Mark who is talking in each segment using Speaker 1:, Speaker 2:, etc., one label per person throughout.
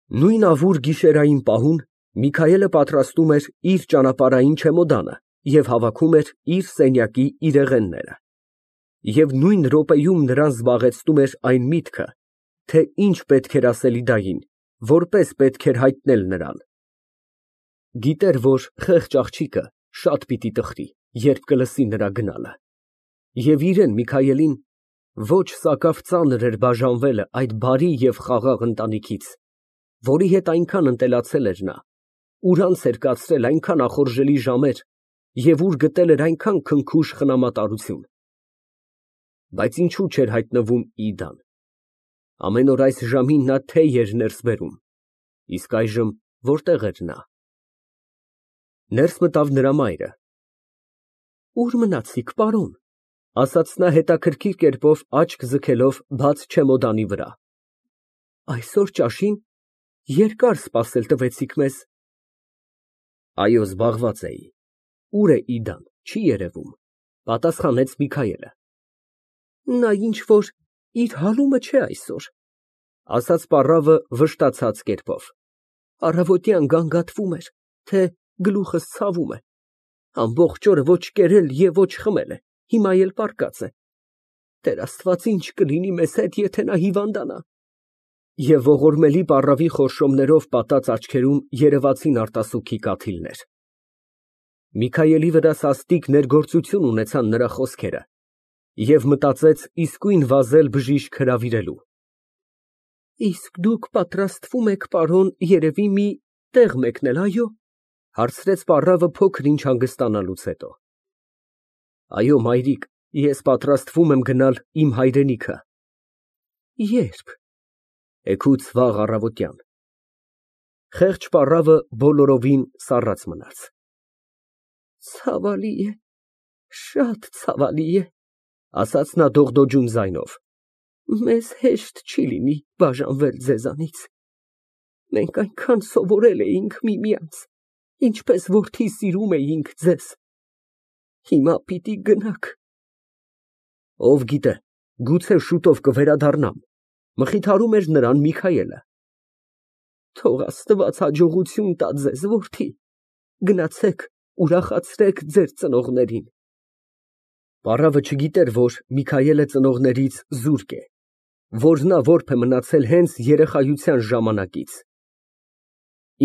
Speaker 1: Նույն ավուր գիշերային պահուն Միքայելը պատրաստում էր իր ճանապարհային չեմոդանը և հավաքում էր իր սենյակի իրեղենները։ Եվ նույն րոպեում նրան զբաղեցնում էր այն միտքը, թե ինչ պետք էր ասել İդային, որպես պետք էր հայտնել նրան։ Գիտեր, որ խեղճ աղջիկը շատ պիտի տխրի, երբ կլսի նրա գնալը, և իրեն Միքայելին ոչ սակավ ծանր էր բաժանվելը այդ բարի և խաղաղ ընտանիքից, որի հետ այնքան ընտելացել էր նա, ուր անց էր կացրել այնքան ախորժելի ժամեր և ուր գտել էր այնքան քնքուշ խնամատարություն։ Բայց ինչու չէր հայտնվում İդան։ Ամեն օր այս ժամին նա թեյ էր ներս բերում, իսկ այժմ որտե՞ղ էր նա։ Ներս մտավ նրա մայրը։ Ո՞ւր մնացիք, պարոն, ասաց նա հետաքրքիր կերպով աչք ձգելով բաց չեմոդանի վրա։ Այսօր ճաշին երկար սպասել տվեցիք մեզ։ Այո, զբաղված էի։ Ո՞ւր է İդան, չի երևում, պատասխանեց Միքայելը։ Նա ինչ որ իր հալումը չէ այսօր, ասաց պառավը վշտացած կերպով։ Առավոտյան գանգատվում էր, թե գլուխս ցավում է, ամբողջ օրը ոչ կերել և ոչ խմել է, հիմա էլ պառկած է։ Տեր Աստված, ինչ կլինի մեզ հետ, եթե նա հիվանդանա։ Եվ ողորմելի պառավի խորշոմներով պատած աչքերում երևացին արտասուքի կաթիլներ։ Միքայելի վրա սաստիկ ներգործություն ունեցան նրա խոսքերը, և մտածեց իսկույն վազել բժիշկ հրավիրելու։ Իսկ դուք պատրաստվում եք, պարոն, երևի մի տեղ մեկնել, այո՞, հարցրեց պառավը փոքր ինչ հանգստանալուց հետո։ Այո, մայրիկ, ես պատրաստվում եմ գնալ իմ հայրենիքը։ Ե՞րբ։ Էգուց վաղ առավոտյան։ Խեղճ պառավը բոլորովին սառած մնաց։ Ցավալի է, շատ ցավալի է, ասաց նա դողդոջուն ձայնով։ Մեզ հեշտ չի լինի բաժանվել ձեզանից։ Մենք այնքան սովորել էինք միմյանց, ինչպես որդի սիրում էինք ձեզ։ Հիմա պիտի գնաք։ Ով գիտե, գուցե շուտով կվերադառնամ, մխիթարում էր նրան Միքայելը։ Թող Աստված հաջողություն տա ձեզ, որդի, գնացեք, ուրախացրեք ձեր ծնողներին։ Պառավը չգիտեր, որ Միքայելը ծնողներից զուրկ է, որ նա որբ է մնացել հենց երեխայության ժամանակից։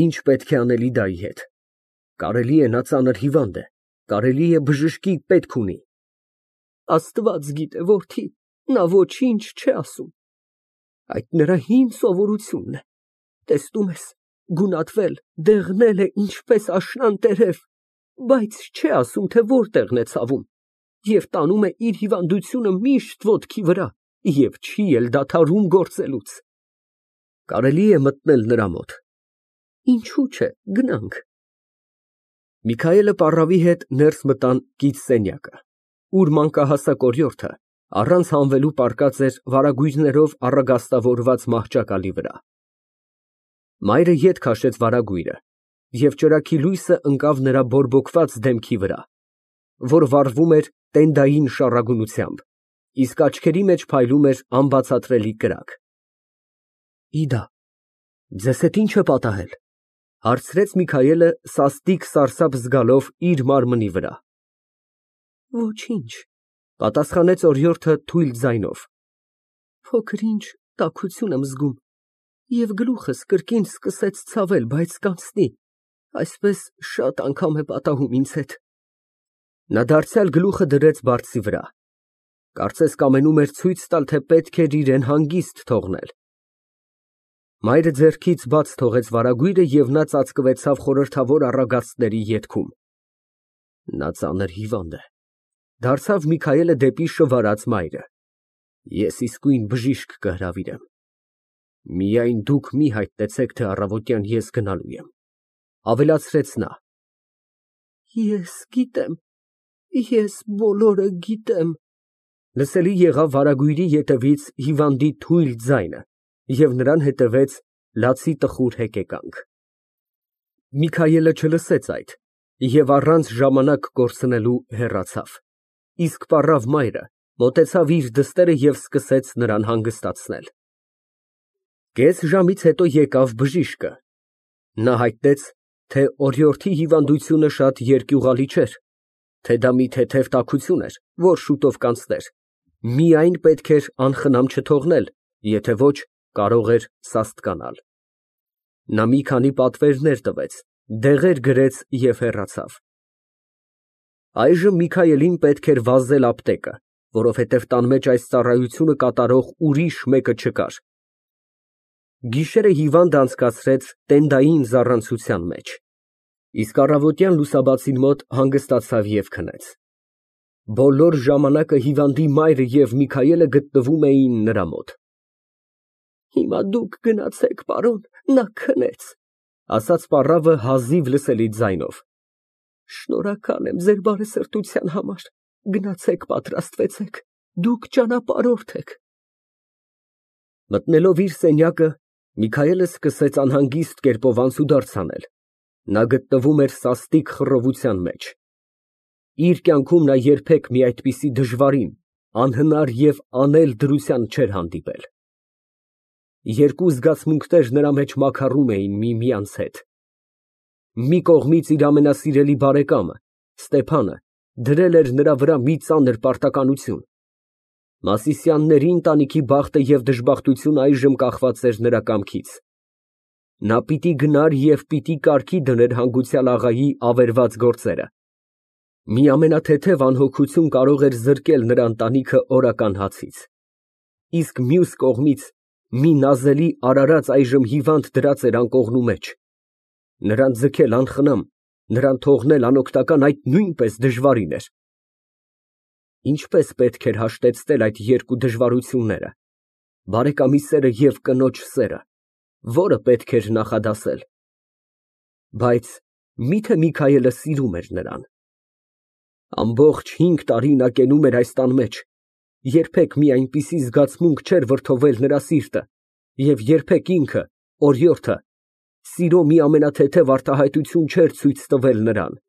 Speaker 1: Ինչ պետք է անել İդայի հետ։ Կարելի է նա ծանր հիվանդ է, կարելի է բժշկի պետք ունի։ Աստված գիտե, որդի, նա ոչինչ չէ ասում։ Այդ նրա հին սովորությունն է, տեսնում ես, գունատվել, դեղնել է ինչպես աշնան տերև, բայց չէ ասում, թե որտեղն է ցավում, և տանում է իր հիվանդությունը միշտ ոտքի վրա և չի էլ դադարում գործելուց։ Կարելի է մտնել նրա մոտ։ Ինչու՞ չէ, գնանք։ Միքայելը պառավի հետ ներս մտան կից սենյակը, ուր մանկահասակ օրիորդը առանց հանվելու պառկած էր վարագույրներով առագաստավորված մահճակալի վրա։ Մայրը ետ քաշեց վարագույրը, և ճրագի լույսը ընկավ նրա բորբոքված դեմքի վրա, որ վառվում էր տենդային շառագունությամբ, իսկ աչքերի մեջ փայլում էր անբացատրելի կրակ։ İդա, ձեզ հետ ի՞նչ է պատահել, հարցրեց Միքայելը սաստիկ սարսափ զգալով իր մարմնի վրա։ Ոչինչ, պատասխանեց օրիորդը թույլ ձայնով։ Փոքր ինչ տաքություն եմ զգում, և գլուխս կրկին սկսեց ցավել, բայց կանցնի, այսպես շատ անգամ է պատահում ինձ հետ։ Նա դարձյալ գլուխը դրեց բարձի վրա, կարծես կամենում էր ցույց տալ, թե պետք էր իրեն հանգիստ թողնել։ Մայրը ձեռքից բաց թողեց վարագույրը և նա ծածկվեցավ խորհրդավոր առագաստների ետքում։ Նա ծանր հիվանդ է, դարձավ Միքայելը դեպի շվարած մայրը։ Ես իսկույն բժիշկ կհրավիրեմ։ Միայն դուք մի հայտնեցեք, թե առավոտյան ես գնալու եմ, ավելացրեց նա։ Ես գիտեմ, ես բոլորը գիտեմ։ Լսելի եղավ վարագույրի ետևից հիվանդի թույլ ձայնը, և նրան հետևեց լացի տխուր հեկեկանք։ Միքայելը չլսեց այդ և առանց ժամանակ կորցնելու հեռացավ, իսկ պառավ մայրը մոտեցավ իր դստերը և սկսեց նրան հանգստացնել։ Կես ժամից հետո եկավ բժիշկը։ Նա հայտնեց, թե օրիորդի հիվանդությունը շատ երկյուղալի չէր, թե դա մի թեթև տաքություն էր, որ շուտով կանցներ, միայն պետք էր անխնամ չթողնել, եթե ոչ, կարող էր սաստկանալ։ Նա մի քանի պատվերներ տվեց, դեղեր գրեց և հեռացավ։ Այժմ Միքայելին պետք էր վազել ապտեկը, որովհետև տան մեջ այս ծառայությունը կատարող ուրիշ մեկը չկար։ Գիշերը հիվանդը անցկացրեց տենդային զառանցության մեջ, իսկ առավոտյան լուսաբացին մոտ հանգստացավ և քնեց։ Բոլոր ժամանակը հիվանդի մայրը և Միքայելը գտնվում էին նրա մոտ։ Հիմա դուք գնացեք, պարոն, նա քնեց, ասաց պառավը հազիվ լսելի ձայնով։ Շնորհակալ եմ ձեր բարեսրտության համար, գնացեք պատրաստվեցեք, դուք ճանապարհորդ եք։ Մտնելով իր սենյակը, Միքայելը սկսեց անհանգիստ կերպով անցուդարձ անել։ Նա գտնվում էր սաստիկ խռովության մեջ։ Իր կյանքում նա երբեք մի այդպիսի դժվարին, անհնար և անել դրության չէր հանդիպել։ Երկու զգացմունքներ նրա մեջ մաքարում էին միմյանց հետ։ Մի կողմից իր ամենասիրելի բարեկամը Ստեփանը դրել էր նրա վրա մի ծանր պարտականություն։ Մասիսյանների ընտանիքի բախտը և դժբախտությունը այժմ կախված էր նրա կամքից։ Նա պիտի գնար և պիտի կարգի դներ հանգուցյալ աղայի ավերված գործերը։ Մի ամենաթեթև անհոգություն կարող էր զրկել նրա ընտանիքը օրական հացից։ Իսկ մյուս կողմից մի նազելի արարած այժմ հիվանդ դրած էր անկողնու մեջ։ Նրան ձգել անխնամ, նրան թողնել անօգնական, այդ նույնպես դժվարին էր։ Ինչպես պետք էր հաշտեցնել այդ երկու դժվարությունները, բարեկամի սերը և կնոջ սերը, որը պետք էր նախադասել։ Բայց մի՞թե Միքայելը սիրում էր նրան։ Ամբողջ 5 տարի նա կենում էր այս տան մեջ, երբեք մի այնպիսի զգացմունք չէր վրդովել նրա սիրտը, և երբեք ինքը, օրիորդը, սիրո մի ամենաթեթև արտահայտություն չէր ցույց տվել նրան։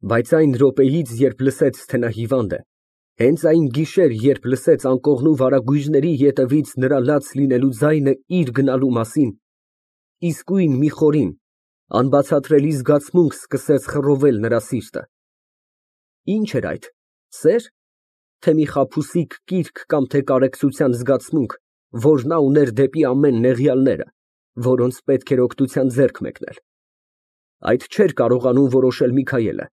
Speaker 1: Բայց այն րոպեից, երբ լսեց, թե նա հիվանդ է, հենց այն գիշեր, երբ լսեց անկողնու վարագույրների ետևից նրա լաց լինելու ձայնը իր գնալու մասին, իսկույն մի խորին, անբացատրելի զգացմունք սկսեց խռովել նրա սիրտը։ Ինչ էր այդ, սե՞ր, թե մի խաբուսիկ կիրք կամ թե կարեկցության զգացմունք, որ նա ուներ դեպի ամեն նեղյալները, որոնց պետք էր օգնության ձեռք մեկնել։ Այդ չէր կարողանում որոշել Միքայելը։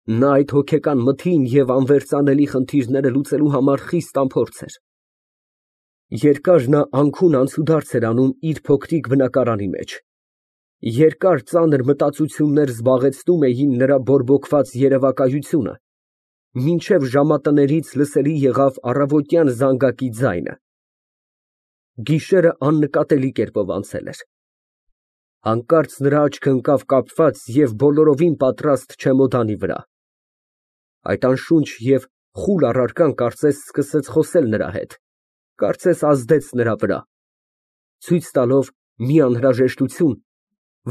Speaker 1: Նա այդ հոգեկան մթին և անվերծանելի խնդիրները լուծելու համար խիստ անփորձ էր։ Երկար նա անքուն անցուդարձ էր անում իր փոքրիկ բնակարանի մեջ։ Երկար ծանր մտածություններ զբաղեցնում էին նրա բորբոքված երևակայությունը, մինչև ժամատներից լսելի եղավ առավոտյան զանգակի ձայնը։ Գիշերը աննկատելի կերպով անցել էր։ Հանկարծ նրա աչքը ընկավ կապված և բոլորովին պատրաստ չեմոդանի վրա։ Այդ անշունչ և խուլ առարկան կարծես սկսեց խոսել նրա հետ, կարծես ազդեց նրա վրա, ցույց տալով մի անհրաժեշտություն,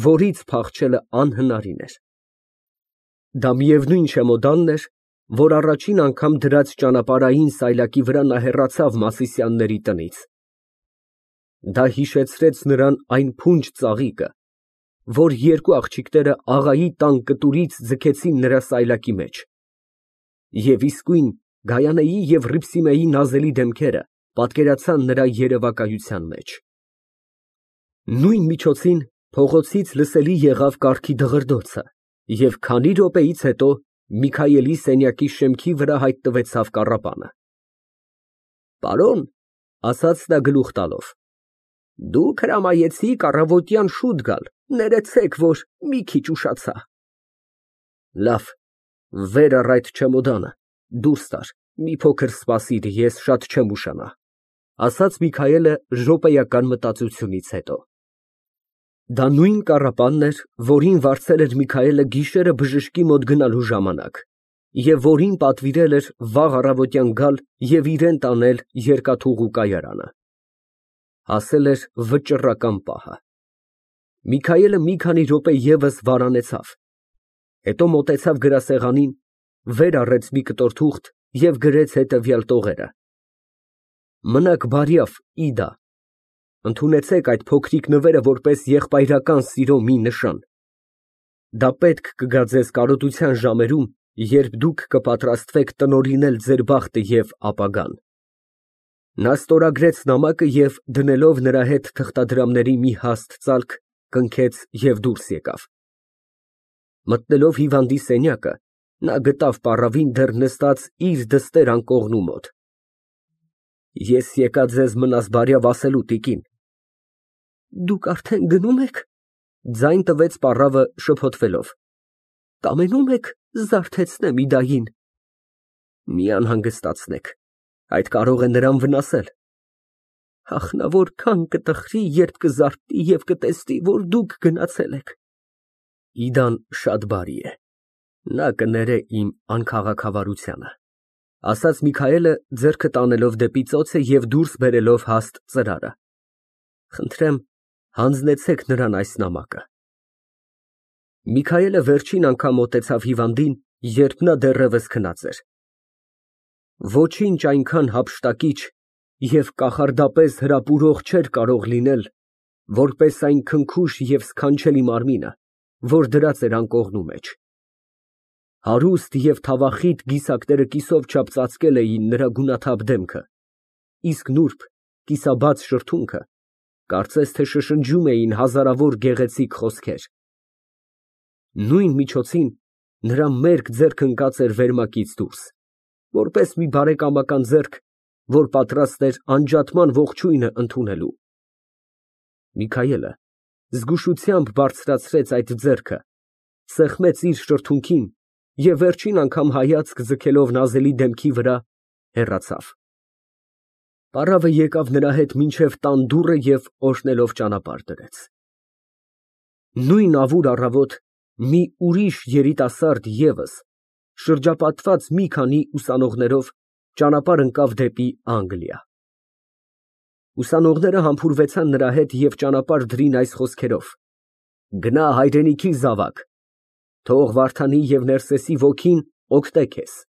Speaker 1: որից փախչելը անհնարին էր։ Դա միևնույն չեմոդանն էր, որ առաջին անգամ դրած ճանապարհային սայլակի վրա նա հեռացավ Մասիսյանների տնից։ Դա հիշեցրեց նրան այն փունջ ծաղիկը, որ երկու աղջիկները աղայի տան կտուրից ձգեցին նրա սայլակի մեջ, և իսկույն Գայանեի և Հռիփսիմեի նազելի դեմքերը պատկերացան նրա երևակայության մեջ։ Նույն միջոցին փողոցից լսելի եղավ կառքի դղրդոցը, և քանի րոպեից հետո Միքայելի սենյակի շեմքի վրա հայտնվեցավ կառապանը։ Պարոն, ասաց նա գլուխ տալով, դուք հրամայեցիք առավոտյան շուտ գալ, ներեցեք, որ մի քիչ ուշացա։ Լավ, վեր առ այդ չեմոդանը, դուրս տար, մի փոքր սպասիր, ես շատ չեմ ուշանա, ասաց Միքայելը րոպեական մտածությունից հետո։ Դա նույն կառապանն էր, որին վարձել էր Միքայելը գիշերը բժշկի մոտ գնալու ժամանակ, և որին պատվիրել էր վաղ առավոտյան գալ և իրան տանել երկաթուղու կայարանը։ Հասել էր վճռական պահը։ Միքայելը մի քանի րոպե ևս վարանեցավ, հետո մոտեցավ գրասեղանին, վեր առեց մի կտոր թուղթ և գրեց հետևյալ տողերը. Մնաք բարյավ, Իդա, Ընդունեցեք այդ փոքրիկ նվերը որպես եղբայրական սիրո մի նշան։ Դա պետք կգա ձեզ կարոտության ժամերում, երբ դուք կպատրաստվեք տնօրինել ձեր բախտը և ապագան։ Նա ստորագրեց նամակը և, դնելով նրա հետ թղթադրամների մի հաստ ծալք, կնքեց և դուրս եկավ։ Մտնելով հիվանդի սենյակը, նա գտավ պառավին դեռ նստած իր դստեր անկողնու մոտ։ Ես եկա ձեզ մնաս բարյավ ասելու, տիկին։ Դուք արդեն գնում եք, ձայն տվեց պառավը շփոթվելով։ Կամենում եք զարթեցնեմ Իդային։ Մի անհանգստացնեք, այդ կարող է նրան վնասել։ Ախ, նա որքան կտխրի, երբ կզարթնի և կտեսնի, որ դուք գնացել եք։ Իդան շատ բարի է, նա կներե իմ անքաղաքավարությանը, ասաց Միքայելը, ձեռքը տանելով դեպի ծոցը և դուրս բերելով հաստ ծրարը։ Խնդրեմ, հանձնեցեք նրան այս նամակը։ Միքայելը վերջին անգամ մոտեցավ հիվանդին, երբ նա դեռևս քնած էր։ Ոչինչ այնքան հափշտակիչ և կախարդապես հրապուրող չէր կարող լինել, որպես այն քնքուշ և սքանչելի մարմինը, որ դրած էր անկողնու մեջ։ Հարուստ և թավախիտ կիսակները կիսով չափ ծածկել էին նրա գունաթափ դեմքը, իսկ նուրբ, կիսաբաց շրթունքը կարծես թե շշնջում էին հազարավոր գեղեցիկ խոսքեր։ Նույն միջոցին նրա մերկ ձեռքը ընկած էր վերմակից դուրս, որպես մի բարեկամական ձեռք, որ պատրաստ էր անջատման ողջույնը ընդունելու։ Միքայելը զգուշությամբ բարձրացրեց այդ ձեռքը, սեղմեց իր շրթունքին և վերջին անգամ հայացք ձգելով նազելի դեմքի վրա, հեռացավ։ Պառավը եկավ նրա հետ մինչև տան դուռը և օրհնելով ճանապարհ դրեց։ Նույն ավուր առավոտ մի ուրիշ երիտասարդ ևս, շրջապատված մի քանի ուսանողներով, ճանապարհ ընկավ դեպի Անգլիա։ Ուսանողները համբուրվեցան նրա հետ և ճանապարհ դրին այս խոսքերով. «Գնա հայրենիքի զավակ, թող Վարդանի և Ներսեսի ոգին օգտե քեզ»։